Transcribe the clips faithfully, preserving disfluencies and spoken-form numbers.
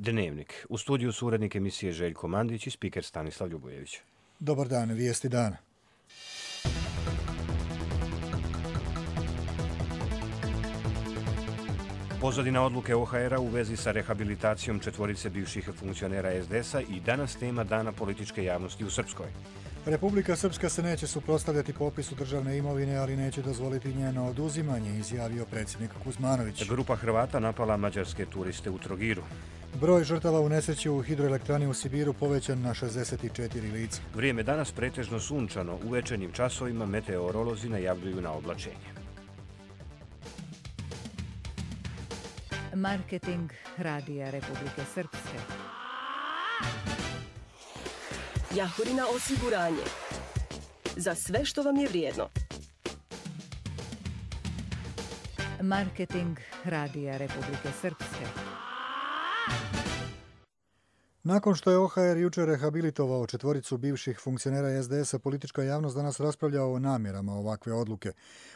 Dnevnik. U studiju su urednik emisije Željko Mandić i spiker Stanislav Ljubojević. Dobar dan, vijesti dana. Pozadina odluke O H R-a u vezi sa rehabilitacijom četvorice bivših funkcionera S D S-a i danas tema Dana političke javnosti u Srpskoj. Republika Srpska se neće suprotstavljati popisu državne imovine, ali neće dozvoliti njeno oduzimanje, izjavio predsjednik Kuzmanović. Grupa Hrvata napala mađarske turiste u Trogiru. Broj žrtava u nesreći u hidroelektrani u Sibiru povećan na šezdeset četiri lica. Vrijeme danas pretežno sunčano, u večernjim časovima meteorolozi najavljuju na oblačenje. Marketing Radija Republike Srpske. Jahorina osiguranje. Za sve što vam je vrijedno. Marketing Radija Republike Srpske. Nakon što je O H R jučer rehabilitovao četvoricu bivših funkcionera S D S-a, politička javnost danas raspravlja o namjerama ovakve odluke.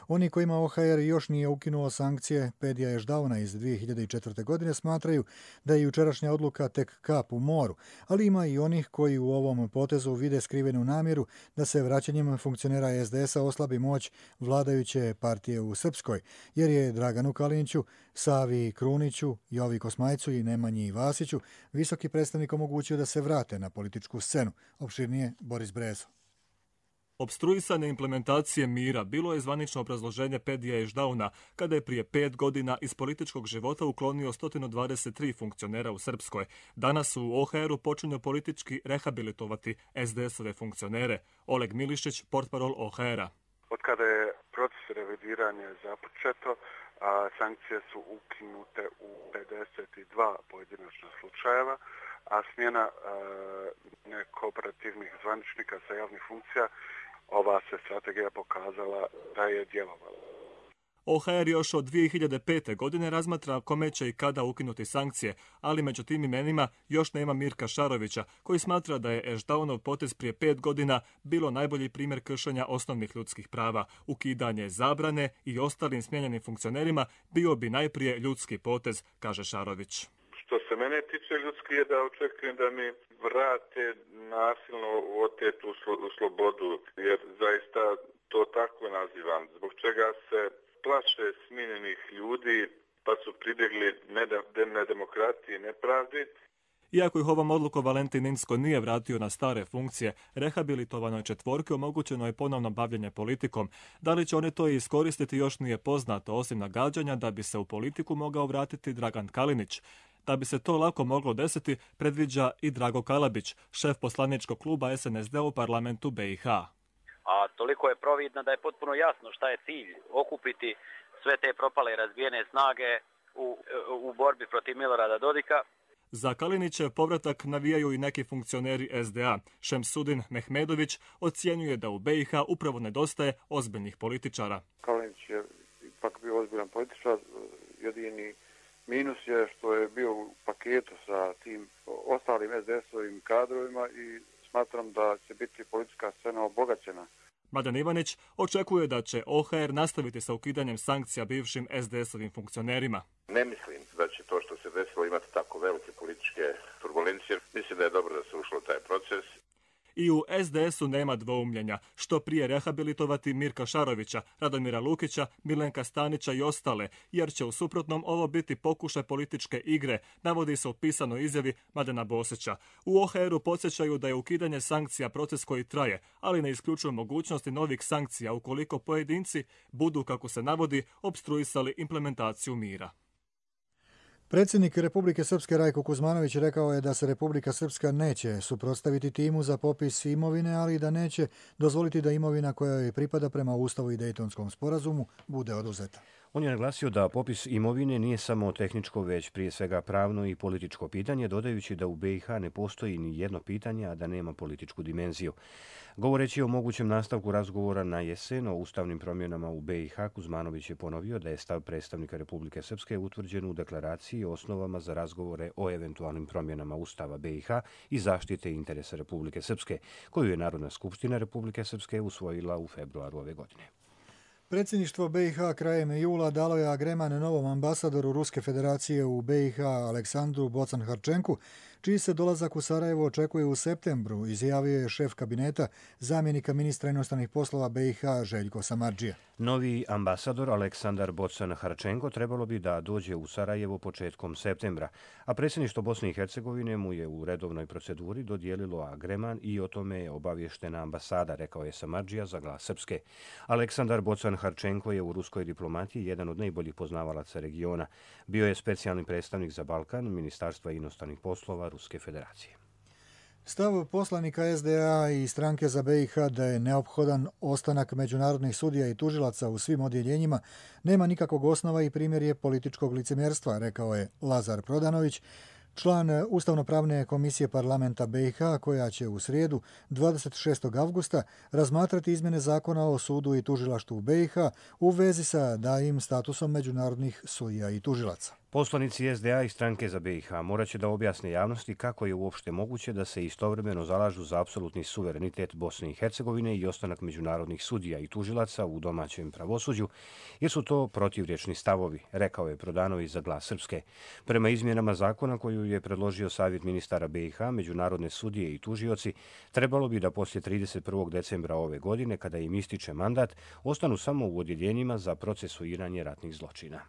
Oni kojima O H R još nije ukinuo sankcije Pedija Ešdauna iz dvije hiljade četvrte. godine smatraju da je jučerašnja odluka tek kap u moru, ali ima i onih koji u ovom potezu vide skrivenu namjeru da se vraćanjem funkcionera S D S-a oslabi moć vladajuće partije u Srpskoj, jer je Draganu Kaliniću, Savi Kruniću, Jovi Kosmajcu i Nemanji Vasiću visoki predstavnik omogućio da se vrate na političku scenu. Opširnije Boris Brezo. Opstruisanje implementacije mira bilo je zvanično obrazloženje Pedija Ešdauna kada je prije pet godina iz političkog života uklonio sto dvadeset tri funkcionera u Srpskoj. Danas u O H R-u počinju politički rehabilitovati S D S-ove funkcionere. Oleg Milišić, portparol O H R-a. Od kada je proces revidiranja započeto, a sankcije su ukinute u pedeset dva pojedinačna slučajeva, a smjena e, nekooperativnih zvaničnika sa javnih funkcija, ova se strategija pokazala da je djelovala. O H R još od dvije hiljade pete. godine razmatra kome će i kada ukinuti sankcije, ali među tim imenima još nema Mirka Šarovića, koji smatra da je Ešdaunov potez prije pet godina bilo najbolji primjer kršenja osnovnih ljudskih prava. Ukidanje zabrane i ostalim smijenjenim funkcionerima bio bi najprije ljudski potez, kaže Šarović. Što se mene tiče, ljudski je da očekujem da mi vrate nasilno otetu slobodu, jer zaista to tako nazivam. Zbog čega se plaše smijenjenih ljudi, pa su pribjegli nedemokratiji i nepravdi. Iako ih ovom odlukom Valentin Inzko nije vratio na stare funkcije, rehabilitovanoj četvorki omogućeno je ponovno bavljenje politikom. Da li će oni to iskoristiti još nije poznato, osim nagađanja da bi se u politiku mogao vratiti Dragan Kalinić. Da bi se to lako moglo desiti, predviđa i Drago Kalabić, šef poslaničkog kluba S N S D u parlamentu B i H. A toliko je providno da je potpuno jasno šta je cilj, okupiti sve te propale i razbijene snage u, u borbi protiv Milorada Dodika. Za Kalinićev povratak navijaju i neki funkcioneri S D A. Šemsudin Mehmedović ocjenjuje da u B i H upravo nedostaje ozbiljnih političara. Kalinić je ipak bio ozbiljan političar, jedini minus je što je bio u paketu sa tim ostalim S D S-ovim kadrovima i smatram da će biti politička scena obogaćena. Mladen Ivanić očekuje da će O H R nastaviti sa ukidanjem sankcija bivšim S D S-ovim funkcionerima. Ne mislim da će to što se desilo imati tako velike političke turbulencije. Mislim da je dobro da se ušlo u taj proces. I u S D S-u nema dvoumljenja. Što prije rehabilitovati Mirka Šarovića, Radomira Lukića, Milenka Stanića i ostale, jer će u suprotnom ovo biti pokušaj političke igre, navodi se u pisanoj izjavi Mladena Bosića. U O H R-u podsjećaju da je ukidanje sankcija proces koji traje, ali ne isključuju mogućnosti novih sankcija ukoliko pojedinci budu, kako se navodi, opstruisali implementaciju mira. Predsjednik Republike Srpske Rajko Kuzmanović rekao je da se Republika Srpska neće suprotstaviti timu za popis imovine, ali da neće dozvoliti da imovina koja joj pripada prema Ustavu i Dejtonskom sporazumu bude oduzeta. On je naglasio da popis imovine nije samo tehničko, već prije svega pravno i političko pitanje, dodajući da u B i H ne postoji ni jedno pitanje, a da nema političku dimenziju. Govoreći o mogućem nastavku razgovora na jesen o ustavnim promjenama u B i H, Kuzmanović je ponovio da je stav predstavnika Republike Srpske utvrđen u deklaraciji o osnovama za razgovore o eventualnim promjenama Ustava B i H i zaštite interesa Republike Srpske, koju je Narodna skupština Republike Srpske usvojila u februaru ove godine. Predsjedništvo B i H krajem jula dalo je agreman novom ambasadoru Ruske federacije u B i H Aleksandru Bocan-Harčenku, čiji se dolazak u Sarajevo očekuje u septembru, izjavio je šef kabineta zamjenika ministra inostranih poslova B i H Željko Samardžija. Novi ambasador Aleksandar Bocan-Harčenko trebalo bi da dođe u Sarajevo početkom septembra, a predsjedništvo Bosne i Hercegovine mu je u redovnoj proceduri dodijelilo agreman i o tome je obavještena ambasada, rekao je Samardžija za Glas Srpske. Aleksandar Bocan-Harčenko je u ruskoj diplomatiji jedan od najboljih poznavalaca regiona. Bio je specijalni predstavnik za Balkan Ministarstva inostranih poslova Ruske federacije. Stav poslanika S D A i stranke za B i H da je neophodan ostanak međunarodnih sudija i tužilaca u svim odjeljenjima nema nikakvog osnova i primjer je političkog licemjerstva, rekao je Lazar Prodanović, član Ustavno-pravne komisije parlamenta B i H, koja će u srijedu dvadeset šestog avgusta razmatrati izmjene zakona o sudu i tužilaštvu B i H u vezi sa daljim statusom međunarodnih sudija i tužilaca. Poslanici S D A i stranke za B i H morat će da objasne javnosti kako je uopšte moguće da se istovremeno zalažu za apsolutni suverenitet Bosne i Hercegovine i ostanak međunarodnih sudija i tužilaca u domaćem pravosuđu, jer su to protivrječni stavovi, rekao je Prodanović za Glas Srpske. Prema izmjenama zakona koju je predložio Savjet ministara B i H, međunarodne sudije i tužioci trebalo bi da poslije trideset prvog decembra ove godine, kada im ističe mandat, ostanu samo u odjeljenjima za procesuiranje ratnih zločina.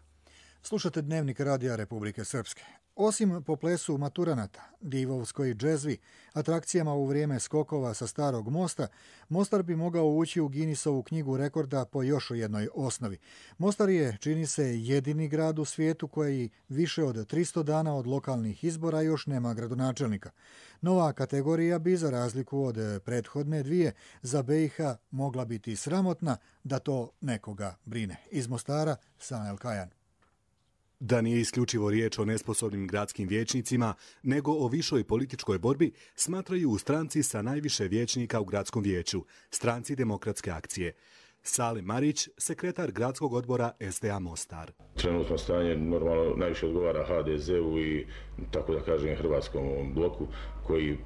Slušate Dnevnik Radija Republike Srpske. Osim po plesu maturanata, divovskoj džezvi, atrakcijama u vrijeme skokova sa Starog mosta, Mostar bi mogao ući u Guinnessovu knjigu rekorda po još jednoj osnovi. Mostar je, čini se, jedini grad u svijetu koji više od tristo dana od lokalnih izbora još nema gradonačelnika. Nova kategorija bi, za razliku od prethodne dvije, za B i H mogla biti sramotna da to nekoga brine. Iz Mostara, Sanel Kajan. Da nije isključivo riječ o nesposobnim gradskim vijećnicima, nego o višoj političkoj borbi, smatraju u stranci sa najviše vijećnika u gradskom vijeću, stranci Demokratske akcije. Salim Marić, sekretar gradskog odbora S D A Mostar. Trenutno stanje normalno najviše odgovara H D Z-u i, tako da kažem, hrvatskom bloku, koji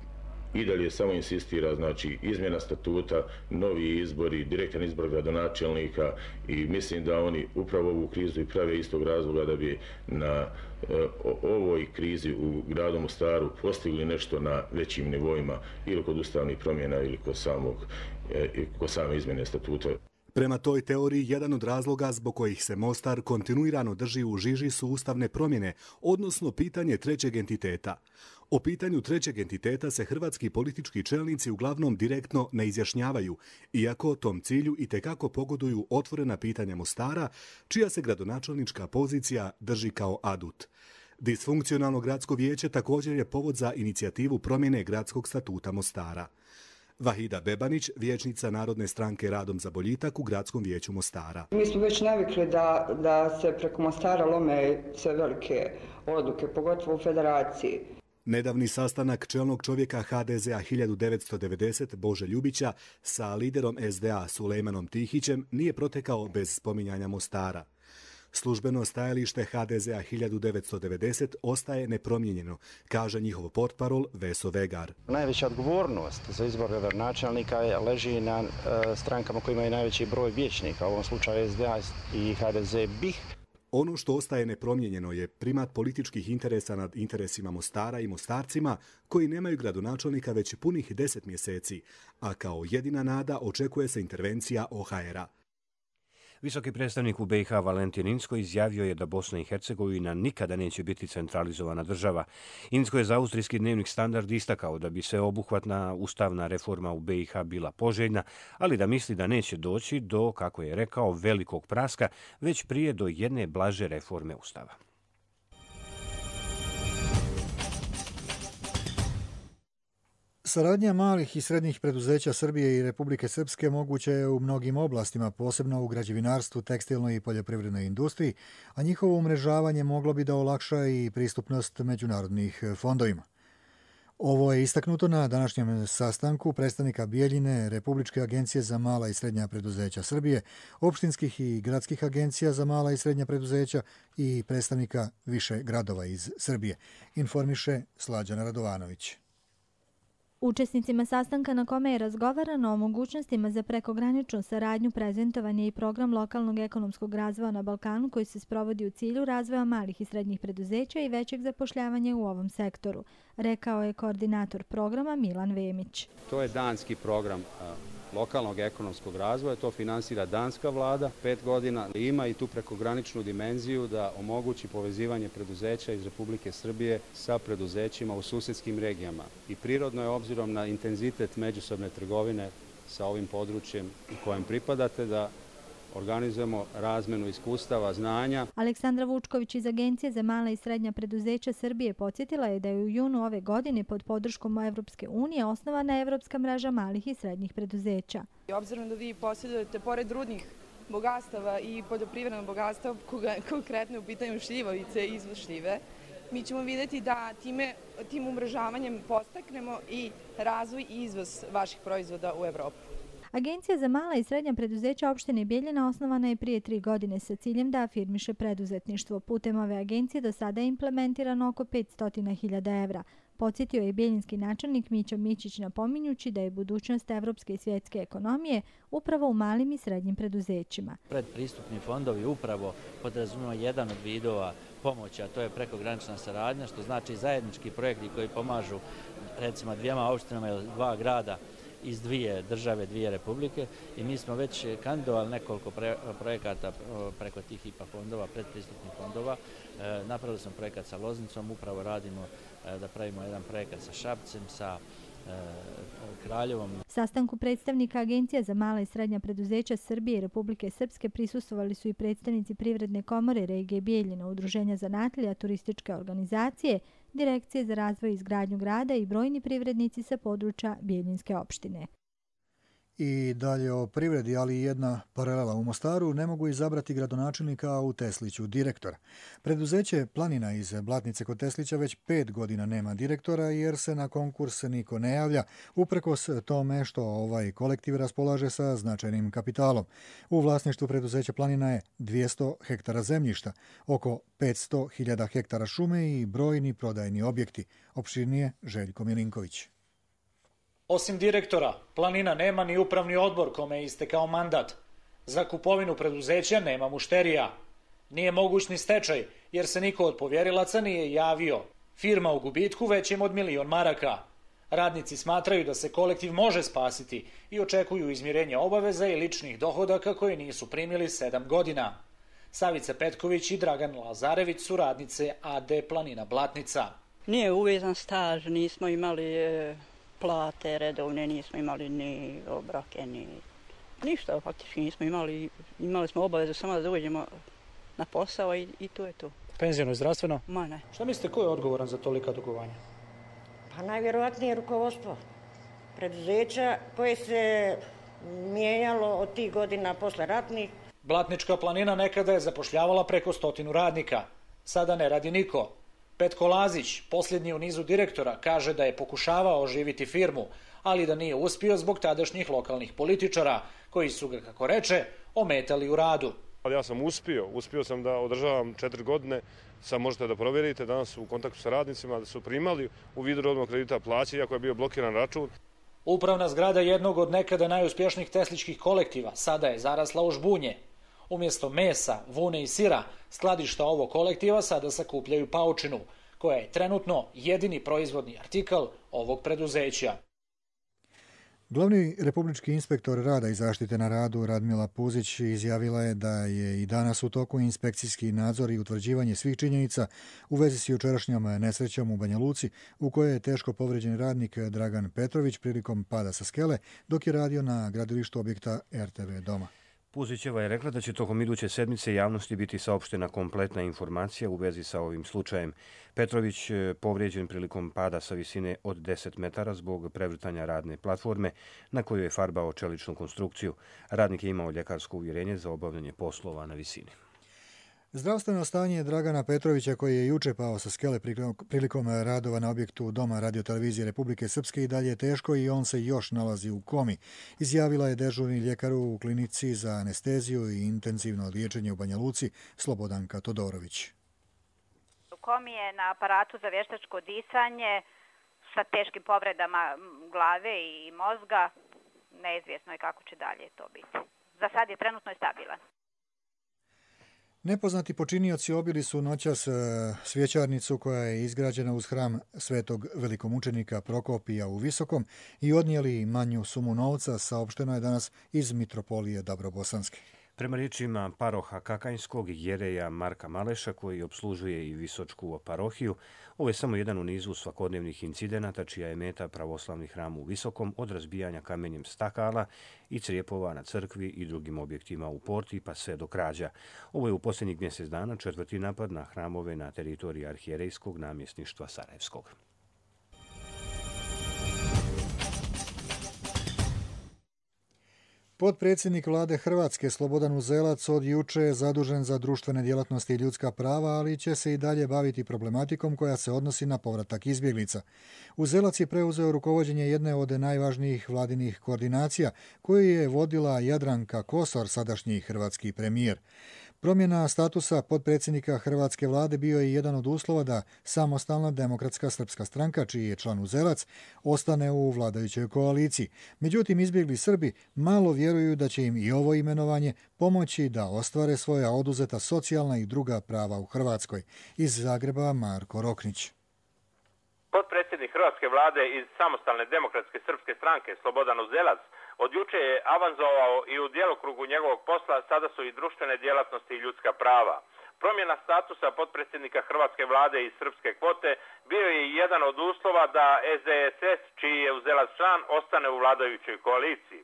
i dalje samo insistira, znači, izmjena statuta, novi izbori, direktan izbor gradonačelnika i mislim da oni upravo ovu krizu i prave istog razloga da bi na e, ovoj krizi u gradu Mostaru postigli nešto na većim nivoima ili kod ustavnih promjena ili kod, samog, e, kod same izmjene statuta. Prema toj teoriji, jedan od razloga zbog kojih se Mostar kontinuirano drži u žiži su ustavne promjene, odnosno pitanje trećeg entiteta. O pitanju trećeg entiteta se hrvatski politički čelnici uglavnom direktno ne izjašnjavaju, iako tom cilju itekako pogoduju otvorena pitanja Mostara, čija se gradonačelnička pozicija drži kao adut. Disfunkcionalno gradsko vijeće također je povod za inicijativu promjene gradskog statuta Mostara. Vahida Bebanić, vijećnica Narodne stranke Radom za boljitak u gradskom vijeću Mostara. Mi smo već navikli da, da se preko Mostara lome sve velike odluke, pogotovo u federaciji. Nedavni sastanak čelnog čovjeka H D Z-a hiljadu devetsto devedeset Bože Ljubića sa liderom S D A Sulejmanom Tihićem nije protekao bez spominjanja Mostara. Službeno stajalište H D Z-a hiljadu devetsto devedeset ostaje nepromijenjeno, kaže njihov portparol Veso Vegar. Najveća odgovornost za izbor gradonačelnika leži na e, strankama koji imaju najveći broj vijećnika, u ovom slučaju S D A i H D Z B I H. Ono što ostaje nepromijenjeno je primat političkih interesa nad interesima Mostara i Mostarcima koji nemaju gradonačelnika već punih deset mjeseci, a kao jedina nada očekuje se intervencija O H R-a. Visoki predstavnik u B i H Valentin Incko izjavio je da Bosna i Hercegovina nikada neće biti centralizovana država. Incko je za austrijski dnevnik Standard istakao da bi sveobuhvatna ustavna reforma u B i H bila poželjna, ali da misli da neće doći do, kako je rekao, velikog praska, već prije do jedne blaže reforme ustava. Saradnja malih i srednjih preduzeća Srbije i Republike Srpske moguće je u mnogim oblastima, posebno u građevinarstvu, tekstilnoj i poljoprivrednoj industriji, a njihovo umrežavanje moglo bi da olakša i pristupnost međunarodnih fondovima. Ovo je istaknuto na današnjem sastanku predstavnika Bijeljine, Republičke agencije za mala i srednja preduzeća Srbije, opštinskih i gradskih agencija za mala i srednja preduzeća i predstavnika više gradova iz Srbije, informiše Slađana Radovanović. Učesnicima sastanka na kome je razgovarano o mogućnostima za prekograničnu saradnju prezentovan je i program lokalnog ekonomskog razvoja na Balkanu koji se sprovodi u cilju razvoja malih i srednjih preduzeća i većeg zapošljavanja u ovom sektoru, rekao je koordinator programa Milan Vemić. To je danski program lokalnog ekonomskog razvoja, to finansira danska vlada pet godina. Ima i tu prekograničnu dimenziju da omogući povezivanje preduzeća iz Republike Srbije sa preduzećima u susedskim regijama. I prirodno je, obzirom na intenzitet međusobne trgovine sa ovim područjem u kojem pripadate, da organizujemo razmenu iskustava, znanja. Aleksandra Vučković iz Agencije za mala i srednja preduzeća Srbije podsjetila je da je u junu ove godine pod podrškom Evropske unije osnovana Evropska mreža malih i srednjih preduzeća. Obzirom da vi posjedujete pored rudnih bogatstava i poljoprivrednog bogatstva, konkretno u pitanju šljivovice i izvoz šljive, mi ćemo vidjeti da time, tim umrežavanjem postaknemo i razvoj i izvoz vaših proizvoda u Evropu. Agencija za mala i srednja preduzeća opštine Bijeljina osnovana je prije tri godine sa ciljem da afirmiše preduzetništvo. Putem ove agencije do sada je implementirano oko petsto hiljada evra. Podsjetio je bijeljinski načelnik Mićo Mićić napominjući da je budućnost evropske i svjetske ekonomije upravo u malim i srednjim preduzećima. Predpristupni fondovi upravo podrazumijevaju jedan od vidova pomoći, a to je prekogranična saradnja, što znači zajednički projekti koji pomažu recimo dvijema opštinama ili dva grada iz dvije države, dvije republike, i mi smo već kandidovali nekoliko pre, projekata preko tih I P A fondova, predpristupnih fondova. E, napravili smo projekat sa Loznicom, upravo radimo e, da pravimo jedan projekat sa Šapcem, sa e, Kraljevom. Sastanku predstavnika Agencija za mala i srednja preduzeća Srbije i Republike Srpske prisustvovali su i predstavnici Privredne komore regije Bijeljina, Udruženja zanatlija, turističke organizacije, Direkcije za razvoj i izgradnju grada i brojni privrednici sa područja Bijeljinske opštine. I dalje o privredi, ali i jedna paralela u Mostaru, ne mogu izabrati gradonačelnika, a u Tesliću direktora. Preduzeće Planina iz Blatnice kod Teslića već pet godina nema direktora jer se na konkurs niko ne javlja, uprkos tome što ovaj kolektiv raspolaže sa značajnim kapitalom. U vlasništvu preduzeća Planina je dvjesto hektara zemljišta, oko petsto hiljada hektara šume i brojni prodajni objekti. Opširnije Željko Milinković. Osim direktora, Planina nema ni upravni odbor kome je istekao mandat. Za kupovinu preduzeća nema mušterija. Nije moguć ni stečaj, jer se niko od povjerilaca nije javio. Firma u gubitku većem od milion maraka. Radnici smatraju da se kolektiv može spasiti i očekuju izmirenje obaveza i ličnih dohodaka koje nisu primili sedam godina. Savica Petković i Dragan Lazarević su radnice A D Planina Blatnica. Nije uvezan staž, nismo imali plate redovne, nismo imali ni obroke, ni ništa, faktički nismo imali. Imali smo obavezu samo da dođemo na posao i, i to je to. Penzijno i zdravstveno? Ma ne. Šta mislite, ko je odgovoran za tolika dugovanja? Pa najvjerovatnije rukovodstvo preduzeća koje se mijenjalo od tih godina posle ratnih. Blatnička Planina nekada je zapošljavala preko stotinu radnika. Sada ne radi niko. Petko Lazić, posljednji u nizu direktora, kaže da je pokušavao oživiti firmu, ali da nije uspio zbog tadašnjih lokalnih političara, koji su ga, kako reče, ometali u radu. Ja sam uspio, uspio sam da održavam četiri godine, sad možete da provjerite, danas su u kontaktu sa radnicima, da su primali u vidu rodnog kredita plaće, iako je bio blokiran račun. Upravna zgrada jednog od nekada najuspješnijih tesličkih kolektiva sada je zarasla u žbunje. Umjesto mesa, vune i sira, skladišta ovog kolektiva sada sakupljaju paučinu, koja je trenutno jedini proizvodni artikl ovog preduzeća. Glavni republički inspektor rada i zaštite na radu Radmila Puzić izjavila je da je i danas u toku inspekcijski nadzor i utvrđivanje svih činjenica u vezi s jučerašnjom nesrećom u Banja Luci, u kojoj je teško povređen radnik Dragan Petrović prilikom pada sa skele dok je radio na gradilištu objekta R T V Doma. Puzićeva je rekla da će tokom iduće sedmice javnosti biti saopštena kompletna informacija u vezi sa ovim slučajem. Petrović povrijeđen prilikom pada sa visine od deset metara zbog prevrtanja radne platforme na kojoj je farbao čeličnu konstrukciju. Radnik je imao ljekarsko uvjerenje za obavljanje poslova na visini. Zdravstveno stanje Dragana Petrovića, koji je juče pao sa skele prilikom radova na objektu Doma radiotelevizije Republike Srpske, i dalje je teško i on se još nalazi u komi, izjavila je dežurni ljekar u klinici za anesteziju i intenzivno liječenje u Banja Luci Slobodanka Todorović. U komi je na aparatu za vještačko disanje sa teškim povredama glave i mozga. Neizvjesno je kako će dalje to biti. Za sad je trenutno stabilan. Nepoznati počinioci obili su noćas svjećarnicu koja je izgrađena uz hram svetog velikomučenika Prokopija u Visokom i odnijeli manju sumu novca, saopšteno je danas iz Mitropolije Dabrobosanske. Prema riječima paroha Kakanjskog jereja Marka Maleša, koji obslužuje i Visočku parohiju, ovo je samo jedan u nizu svakodnevnih incidenata čija je meta pravoslavni hram u Visokom, od razbijanja kamenjem stakala i crijepova na crkvi i drugim objektima u porti pa sve do krađa. Ovo je u posljednjih mjesec dana četvrti napad na hramove na teritoriji arhijerejskog namjesništva Sarajevskog. Potpredsjednik vlade Hrvatske Slobodan Uzelac od juče je zadužen za društvene djelatnosti i ljudska prava, ali će se i dalje baviti problematikom koja se odnosi na povratak izbjeglica. Uzelac je preuzeo rukovođenje jedne od najvažnijih vladinih koordinacija koju je vodila Jadranka Kosor, sadašnji hrvatski premijer. Promjena statusa potpredsjednika hrvatske vlade bio je jedan od uslova da Samostalna demokratska srpska stranka, čiji je član Uzelac, ostane u vladajućoj koaliciji. Međutim, izbjegli Srbi malo vjeruju da će im i ovo imenovanje pomoći da ostvare svoja oduzeta socijalna i druga prava u Hrvatskoj. Iz Zagreba Marko Roknić. Potpredsjednik hrvatske vlade iz Samostalne demokratske srpske stranke Slobodan Uzelac od juče je avanzovao i u djelokrugu njegovog posla sada su i društvene djelatnosti i ljudska prava. Promjena statusa potpredsjednika hrvatske vlade iz srpske kvote bio je jedan od uslova da S D S S, čiji je Uzelac član, ostane u vladajućoj koaliciji.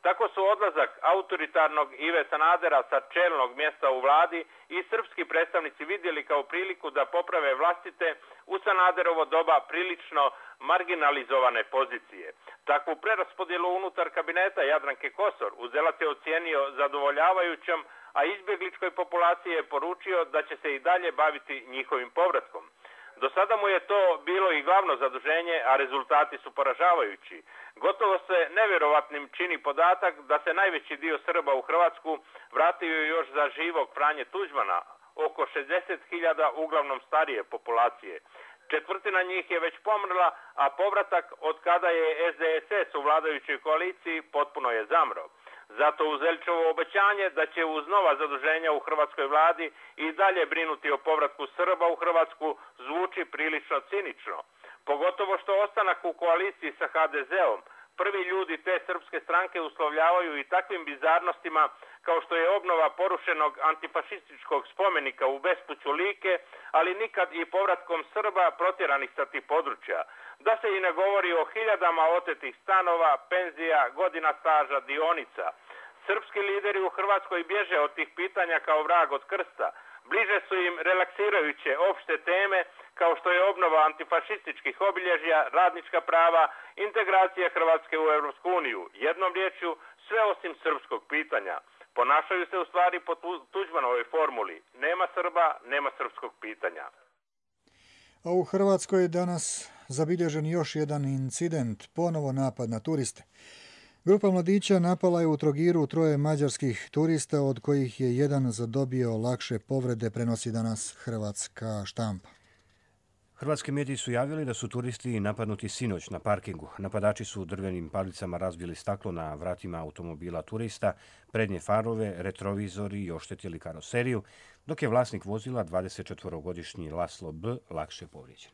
Tako su odlazak autoritarnog Ive Sanadera sa čelnog mjesta u vladi i srpski predstavnici vidjeli kao priliku da poprave vlastite u Sanaderovo doba prilično marginalizovane pozicije. Takvu preraspodjelu unutar kabineta Jadranke Kosor Uzelac je ocijenio zadovoljavajućom, a izbjegličkoj populaciji je poručio da će se i dalje baviti njihovim povratkom. Do sada mu je to bilo i glavno zaduženje, a rezultati su poražavajući. Gotovo se nevjerovatnim čini podatak da se najveći dio Srba u Hrvatsku vratio još za živog Franje Tuđmana, oko šezdeset hiljada uglavnom starije populacije. Četvrtina njih je već pomrla, a povratak od kada je S D S S u vladajućoj koaliciji potpuno je zamro. Zato Uzelićevo obećanje da će uz nova zaduženja u hrvatskoj vladi i dalje brinuti o povratku Srba u Hrvatsku zvuči prilično cinično. Pogotovo što ostanak u koaliciji sa H D Z-om prvi ljudi te srpske stranke uslovljavaju i takvim bizarnostima kao što je obnova porušenog antifašističkog spomenika u bespuću Like, ali nikad i povratkom Srba protjeranih sa tih područja. Da se i ne govori o hiljadama otetih stanova, penzija, godina staža, dionica. Srpski lideri u Hrvatskoj bježe od tih pitanja kao vrag od krsta. Bliže su im relaksirajuće opšte teme kao što je obnova antifašističkih obilježja, radnička prava, integracija Hrvatske u Europsku uniju. Jednom riječju, sve osim srpskog pitanja. Ponašaju se u stvari po Tuđmanovoj formuli. Nema Srba, nema srpskog pitanja. A u Hrvatskoj je danas zabilježen još jedan incident, ponovo napad na turiste. Grupa mladića napala je u Trogiru troje mađarskih turista, od kojih je jedan zadobio lakše povrede, prenosi danas hrvatska štampa. Hrvatski mediji su javili da su turisti napadnuti sinoć na parkingu. Napadači su drvenim palicama razbili staklo na vratima automobila turista, prednje farove, retrovizori i oštetili karoseriju, dok je vlasnik vozila dvadesetčetvorogodišnji Laslo B. lakše povrijeđen.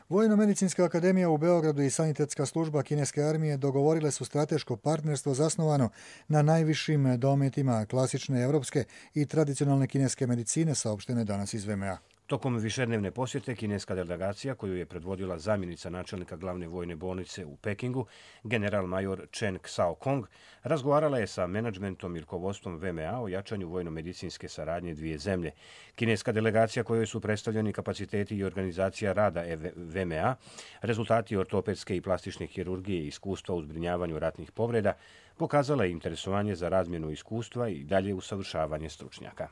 Vojno-medicinska akademija u Beogradu i sanitetska služba kineske armije dogovorile su strateško partnerstvo zasnovano na najvišim dometima klasične evropske i tradicionalne kineske medicine, saopštene danas iz V M A. Tokom višednevne posjete kineska delegacija, koju je predvodila zamjenica načelnika glavne vojne bolnice u Pekingu, general major Chen Xiaokong, razgovarala je sa menadžmentom i rukovodstvom V M A o jačanju vojno-medicinske saradnje dvije zemlje. Kineska delegacija, kojoj su predstavljeni kapaciteti i organizacija rada V M A, rezultati ortopedske i plastične hirurgije i iskustva u zbrinjavanju ratnih povreda, pokazala je interesovanje za razmjenu iskustva i dalje usavršavanje stručnjaka.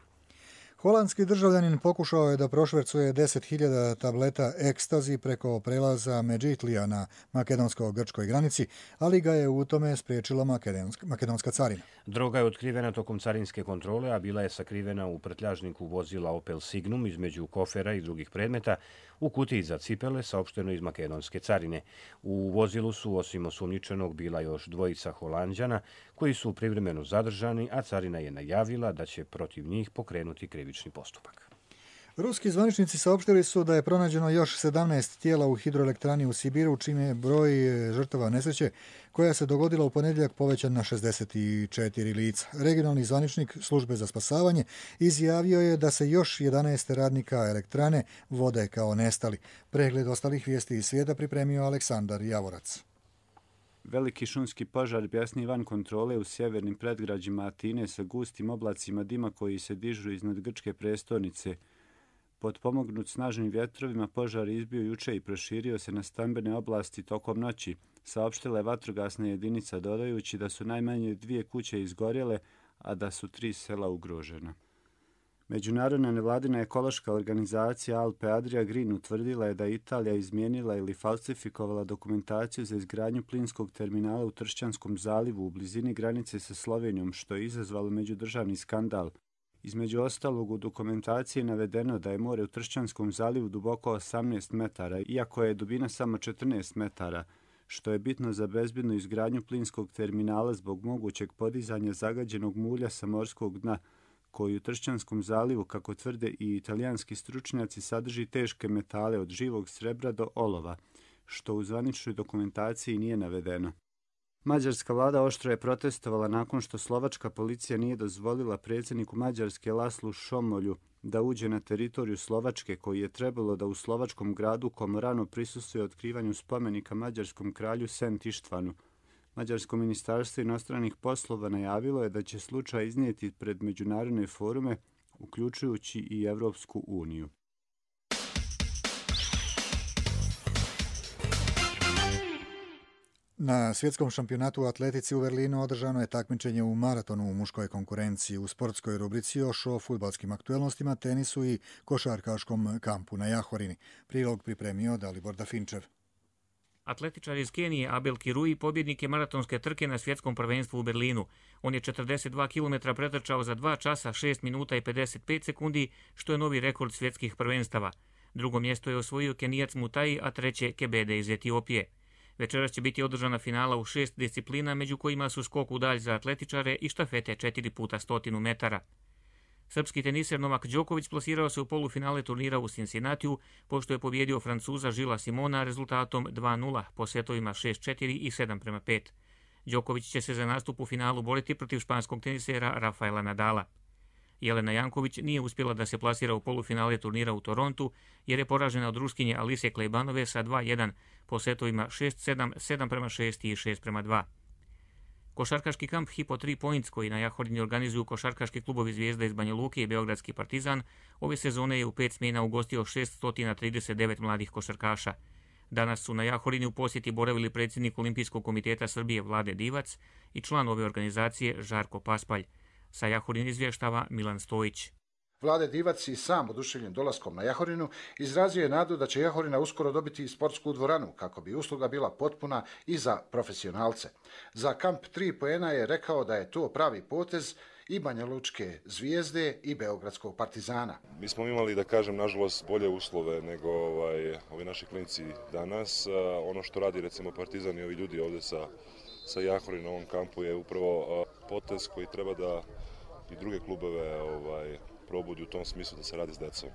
Holandski državljanin pokušao je da prošvercuje deset hiljada tableta ekstazi preko prelaza Medžitlija na makedonsko-grčkoj granici, ali ga je u tome spriječila makedonska, makedonska carina. Droga je otkrivena tokom carinske kontrole, a bila je sakrivena u prtljažniku vozila Opel Signum između kofera i drugih predmeta u kutiji za cipele, saopšteno iz makedonske carine. U vozilu su, osim osumnjičenog, bila još dvojica Holanđana koji su privremeno zadržani, a carina je najavila da će protiv njih pokrenuti krivični postupak. Ruski zvaničnici saopštili su da je pronađeno još sedamnaest tijela u hidroelektrani u Sibiru, čime je broj žrtava nesreće koja se dogodila u ponedjeljak povećan na šezdeset četiri lica. Regionalni zvaničnik službe za spasavanje izjavio je da se još jedanaest radnika elektrane vode kao nestali. Pregled ostalih vijesti iz svijeta pripremio Aleksandar Javorac. Veliki šumski požar bjesni van kontrole u sjevernim predgrađima Atine sa gustim oblacima dima koji se dižu iznad grčke prestolnice. Potpomognut snažnim vjetrovima, požar izbio juče i proširio se na stambene oblasti tokom noći, saopštila je vatrogasna jedinica, dodajući da su najmanje dvije kuće izgorjele, a da su tri sela ugrožena. Međunarodna nevladina ekološka organizacija Alpe Adria Green utvrdila je da je Italija izmijenila ili falsifikovala dokumentaciju za izgradnju plinskog terminala u Tršćanskom zalivu u blizini granice sa Slovenijom, što je izazvalo međudržavni skandal. Između ostalog, u dokumentaciji je navedeno da je more u Tršćanskom zalivu duboko osamnaest metara, iako je dubina samo četrnaest metara, što je bitno za bezbednu izgradnju plinskog terminala zbog mogućeg podizanja zagađenog mulja sa morskog dna, koji u Tršćanskom zalivu, kako tvrde i italijanski stručnjaci, sadrži teške metale od živog srebra do olova, što u zvaničnoj dokumentaciji nije navedeno. Mađarska vlada oštro je protestovala nakon što slovačka policija nije dozvolila predsjedniku Mađarske Laslu Šomolju da uđe na teritoriju Slovačke, koji je trebalo da u slovačkom gradu Komorano prisustvuje otkrivanju spomenika mađarskom kralju Sent Ištvanu. Mađarsko ministarstvo inostranih poslova najavilo je da će slučaj iznijeti pred međunarodne forume, uključujući i Evropsku uniju. Na svjetskom šampionatu u atletici u Berlinu održano je takmičenje u maratonu u muškoj konkurenciji. U sportskoj rubrici još o fudbalskim aktuelnostima, tenisu i košarkaškom kampu na Jahorini. Prilog pripremio Dalibor Dafinčev. Atletičar iz Kenije Abel Kirui pobjednik je maratonske trke na svjetskom prvenstvu u Berlinu. On je četrdeset dva kilometra pretrčao za dva časa, šest minuta i pedeset pet sekundi, što je novi rekord svjetskih prvenstava. Drugo mjesto je osvojio Kenijac Mutai, a treće Kebede iz Etiopije. Večeras će biti održana finala u šest disciplina, među kojima su skok u dalj za atletičare i štafete četiri puta stotinu metara. Srpski teniser Novak Đoković plasirao se u polufinale turnira u Cincinnatiju, pošto je pobjedio Francuza Žila Simona rezultatom dva nula po setovima šest četiri i sedam prema pet. Đoković će se za nastup u finalu boriti protiv španskog tenisera Rafaela Nadala. Jelena Janković nije uspjela da se plasira u polufinale turnira u Torontu, jer je poražena od Ruskinje Alise Klejbanove sa dva jedan po setovima šest sedam, sedam prema šest i šest prema dva. Košarkaški kamp Hypo tri Points, koji na Jahorini organizuju košarkaški klubovi Zvijezda iz Banja Luke i Beogradski Partizan, ove sezone je u pet smjena ugostio šeststo trideset devet mladih košarkaša. Danas su na Jahorini u posjeti boravili predsjednik Olimpijskog komiteta Srbije Vlade Divac i član ove organizacije Žarko Paspalj. Sa Jahorin izvještava Milan Stojić. Vlade Divac i sam oduševljen dolaskom na Jahorinu izrazio je nadu da će Jahorina uskoro dobiti sportsku dvoranu kako bi usluga bila potpuna i za profesionalce. Za kamp tri poena je rekao da je to pravi potez i Banja Lučke Zvijezde i Beogradskog Partizana. Mi smo imali, da kažem, nažalost bolje uslove nego ovaj, ovi naši klinici danas. Ono što radi recimo Partizan i ovi ljudi ovdje sa, sa Jahorina na ovom kampu je upravo potez koji treba da i druge klubove ovaj, probudi u tom smislu da se radi s decom.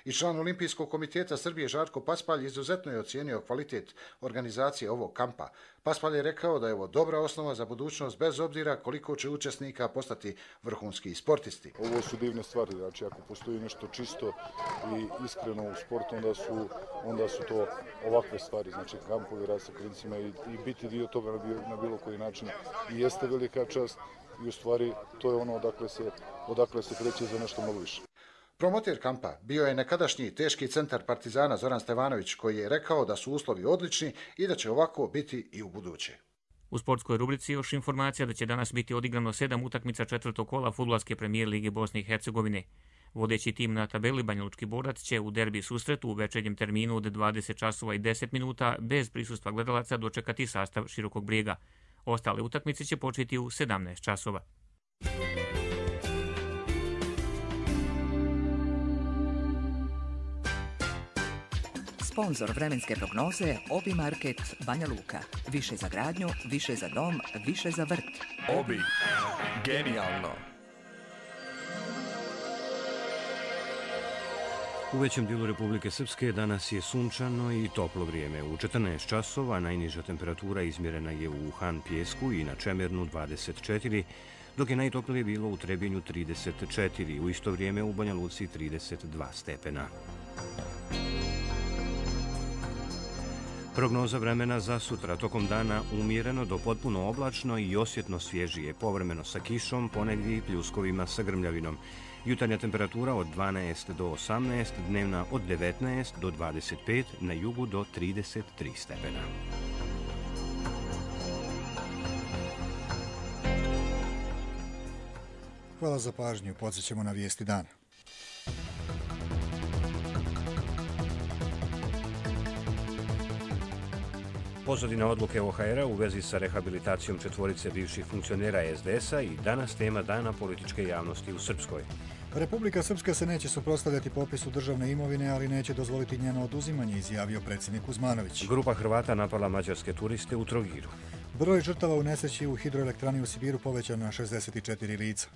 I član Olimpijskog komiteta Srbije Žarko Paspalj izuzetno je ocijenio kvalitet organizacije ovog kampa. Paspalj je rekao da je ovo dobra osnova za budućnost bez obzira koliko će učesnika postati vrhunski sportisti. Ovo su divne stvari, znači ako postoji nešto čisto i iskreno u sportu, onda su, onda su to ovakve stvari, znači kampovi, rad sa klincima i, i biti dio toga na, bio, na bilo koji način i jeste velika čast i u stvari to je ono odakle se, odakle se kreće za nešto mnogo više. Promoter kampa bio je nekadašnji teški centar Partizana Zoran Stevanović, koji je rekao da su uslovi odlični i da će ovako biti i u buduće. U sportskoj rubrici još informacija da će danas biti odigrano sedam utakmica četvrtog kola fudbalske premijer Lige Bosne i Hercegovine. Vodeći tim na tabeli Banjalučki Borac će u derbi susretu u večernjem terminu od dvadeset časova i deset minuta bez prisustva gledalaca dočekati sastav Širokog Brijega. Ostale utakmice će početi u sedamnaest časova. Sponzor vremenske prognoze Obi Market Banja Luka. Više za gradnju, više za dom, više za vrt. Obi. Genijalno. U većem dijelu Republike Srpske danas je sunčano i toplo vrijeme. U četrnaest časova najniža temperatura izmjerena je u Han Pjesku i na Čemernu dvadeset četiri, dok je najtoplije bilo u Trebinju trideset četiri, u isto vrijeme u Banja Luci trideset dva stepena. Prognoza vremena za sutra, tokom dana umjereno do potpuno oblačno i osjetno svježije, povremeno sa kišom, ponegdje i pljuskovima sa grmljavinom. Jutarnja temperatura od dvanaest do osamnaest, dnevna od devetnaest do dvadeset pet, na jugu do trideset tri stepena. Hvala za pažnju, podsjećamo na vijesti dana. Pozadina odluke O H R-a u vezi sa rehabilitacijom četvorice bivših funkcionera S D S-a i danas tema dana političke javnosti u Srpskoj. Republika Srpska se neće suprotstavljati popisu državne imovine, ali neće dozvoliti njeno oduzimanje, izjavio predsjednik Kuzmanović. Grupa Hrvata napala mađarske turiste u Trogiru. Broj žrtava u nesreći u hidroelektrani u Sibiru povećan na šezdeset četiri lica.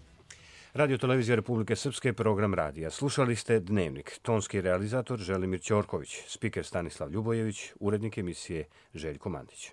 Radio Televizija Republike Srpske, program radija. Slušali ste Dnevnik. Tonski realizator Želimir Ćorković, spiker Stanislav Ljubojević, urednik emisije Željko Mandić.